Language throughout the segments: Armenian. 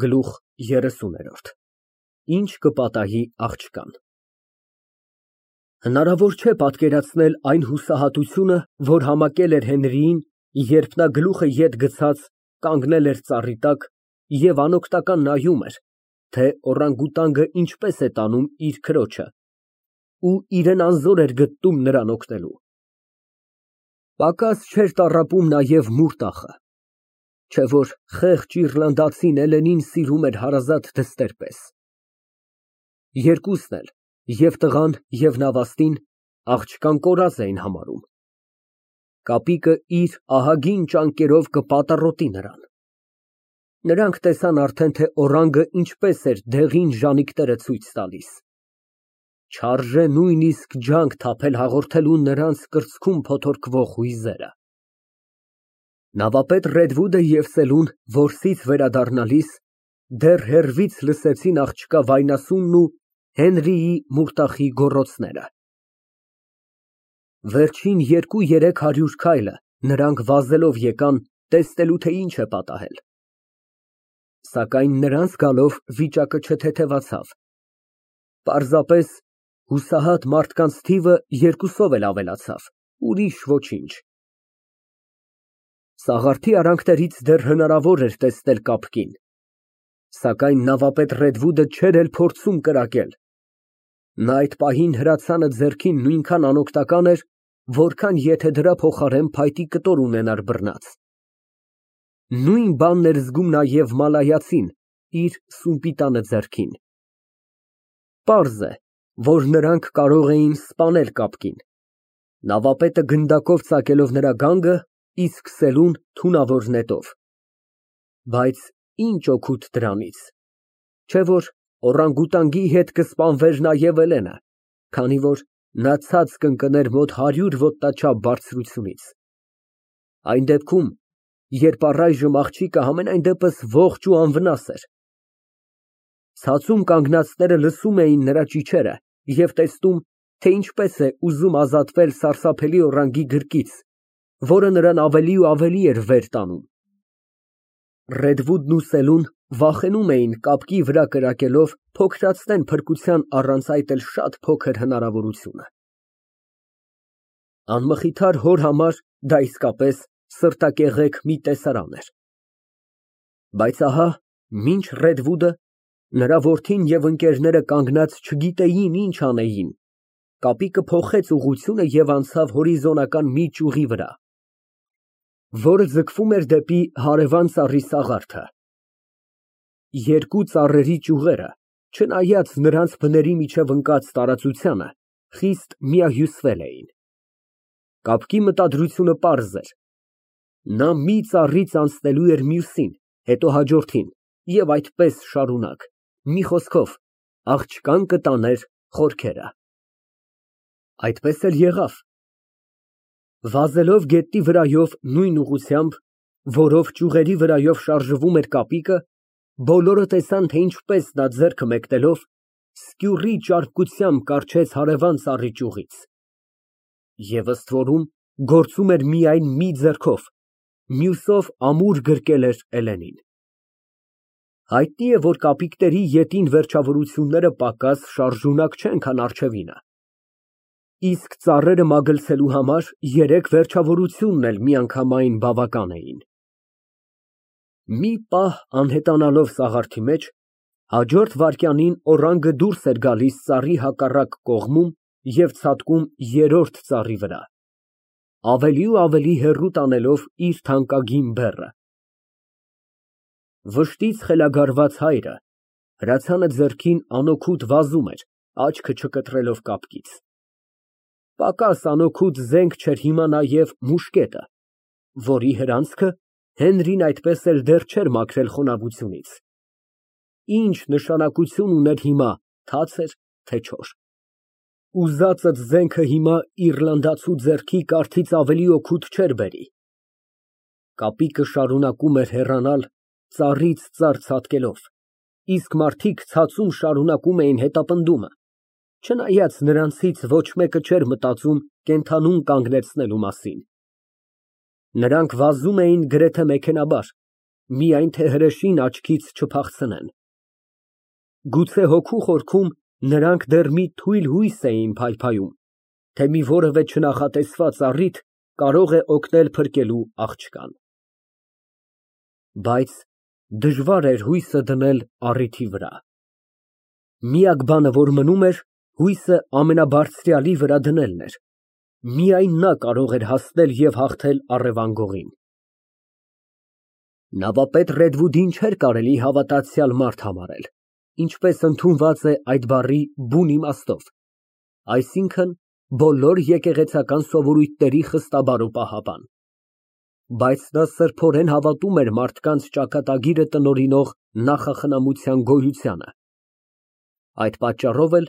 Գլուխ 30 Ինչ կպատահի աղջկան։ Հնարավոր չէ պատկերացնել այն հուսահատությունը, որ համակել էր Հենրիին, երբ նա գլուխը ետ գցած կանգնել էր ծառի տակ և անօգնական նայում էր, թե օրանգուտանգը ինչպես է տանում իր քրոջը, ու իրան անզոր էր գտնում նրան օգնելու։ Պակաս չէր տառապում նաև Մուրտախը, չէ որ խեղճ իռլանդացին Էլենին սիրում էր հարազատ դստեր պես։ Երկուսն էլ, և տղան, և նավաստին, աղջկան կորած էին համարում։ Կապիկը իր ահագին ճանկերով կպատառոտի նրան։ Նրանք տեսան արդեն, թե օրանգը ինչպես էր դեղին ժանիքները ցույց տալիս։ Չարժե նույնիսկ ջանք թափել հաղորդելու նրանց կրծքում փոթորկվող հույզերը։ Նավապետ Ռեդվուդը և Սելուն որսից վերադառնալիս դեռ հեռվից լսեցին աղջկա վայնասունն ու Հենրիի Մուրտախի գոռոցները։ Վերջին 200-300 քայլը նրանք վազելով եկան, տեսնելու, թե ինչ է պատահել։ Սակայն նրանց գալով վիճակը չթեթևացավ։ Պարզապես հուսահատ մարդկանց թիվը երկուսով էլ ավելացավ, ուրիշ ոչինչ։ Սաղարթի արանքներից դեռ հնարավոր էր տեսնել կապկին, սակայն նավապետ Ռեդվուդը չէր էլ փորձում կրակել։ Նա այդ պահին հրացանը ձեռքին նույնքան անօգնական էր, որքան եթե դրա փոխարեն փայտի կտոր ունենար բռնած։ Նույն բանն էր զգում նաև մալայացին իր սումպիտանը ձեռքին։ Պարզ է, որ նրանք կարող էին սպանել կապկին, նավապետը գնդակով ծակելով նրա գանգը, իսկ Սելուն թունավոր նետով։ Բայց ինչ օգուտ դրանից, չէ որ օրանգուտանգի հետ կսպանվեր նաև Էլենը, քանի որ նա ցած կընկներ մոտ 100 ոտնաչափ բարձրությունից։ Այն դեպքում, երբ առայժմ աղջիկը համենայն դեպս ողջ ու անվնաս էր։ Ցածում կանգնածները լսում էին նրա ճիչերը և տեսնում, թե ինչպես է ուզում ազատվել սարսափելի օրանգի գրկից, որը նրան ավելի ու ավելի էր վեր տանում։ Ռեդվուդն ու Սելուն վախենում էին կապկի վրա կրակելով փոքրացնեն փրկության առանց այդ էլ շատ փոքր հնարավորությունը։ Անմխիթար հոր համար դա իսկապես սրտակեղեք մի տեսարան էր։ Բայց ահա, մինչ Ռեդվուդը, նրա որդին և ընկերները կանգնած չգիտեին ինչ անեին, կապիկը փոխեց ուղղությունը և անցավ հորիզոնական մի ճյուղի վրա, որը ձգվում էր դեպի հարևան ծառի սաղարթը։ Երկու ծառերի ճյուղերը, չնայած նրանց բների միջև ընկած տարածությանը, խիստ միահյուսվել էին։ Կապկի մտադրությունը պարզ էր. նա մի ծառից անցնելու էր մյուսին, հետո հաջորդին և այդպես շարունակ, մի խոսքով, աղջկան կտաներ խորքերը։ Այդպես էլ եղավ։ Վազելով գետնի վրայով նույն ուղղությամբ, որով ճյուղերի վրայով շարժվում էր կապիկը, բոլորը տեսան, թե ինչպես նա ձեռքը մեկնելով սկյուռի ճարպկությամբ կառչեց հարևան ծառի ճյուղից։ Եվ ըստ որում գործում էր միայն մի ձեռքով, մյուսով ամուր գրկել էր Էլենին։ Հայտնի է, որ կապիկների ետին վերջավորությունները պակաս շարժունակ չեն, քան առջևինը։ Իսկ ծառերը մագլցելու համար երեք վերջավորությունն էլ միանգամայն բավական էին։ Մի պահ անհետանալով սաղարթի մեջ, հաջորդ վայրկյանին օրանգը դուրս էր գալիս ծառի հակառակ կողմում և ցատկում երրորդ ծառի վրա, ավելի ու ավելի հեռու տանելով իր թանկագին բեռը։ Վշտից խելագարված հայրը հրացանը ձեռքին անօգուտ վազում էր, աչքը չկտրելով կապկից։ Պակաս անօգուտ զենք չէր հիմա նաև մուշկետը, որի հրանցքը Հենրին այդպես էլ դեռ չէր մաքրել խոնավությունից։ Ինչ նշանակություն ուներ հիմա, թաց էր, թե չոր։ Ուզածդ զենքը հիմա իռլանդացու ձեռքի կարթից ավելի օգուտ չէր բերի։ Կապիկը շարունակում էր հեռանալ, ծառից ծառ ցատկելով, իսկ մարդիկ ցածում շարունակում էին հետապնդումը, չնայած նրանցից ոչ մեկը չէր մտածում կենդանուն կանգնեցնելու մասին։ Նրանք վազում էին գրեթե մեքենայաբար, միայն թե հրեշին աչքից չփախցնեն։ Գուցե հոգու խորքում նրանք դեռ մի թույլ հույս էին փայփայում, թե մի որևէ չնախատեսված առիթ կարող է օգնել փրկելու աղջկան։ Բայց դժվար էր հույսը դնել առիթի վրա։ Միակ բանը, որ մնում էր, հույսը ամենաբարձրյալի վրա դնելն էր, միայն նա կարող էր հասնել և հաղթել առևանգողին։ Նավապետ Ռեդվուդին չէր կարելի հավատացյալ մարդ համարել, ինչպես ընդունված է այդ բառի բուն իմաստով, այսինքն բոլոր եկեղեցական սովորույթների խստաբար ու պահապան, բայց նա սրբորեն հավատում էր մարդկանց ճակատագիրը տնօրինող նախախնամության գոյությանը։ Այդ պատճառով էլ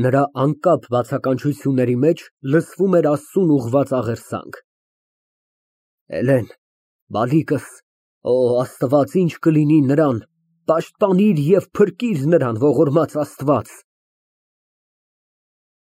նրա անկապ բացականչությունների մեջ լսվում էր Աստծուն ուղղված աղերսանք. Էլեն, բալիկս, օ Աստված, ինչ կլինի նրան, պաշտպանիր և փրկիր նրան, ողորմած Աստված։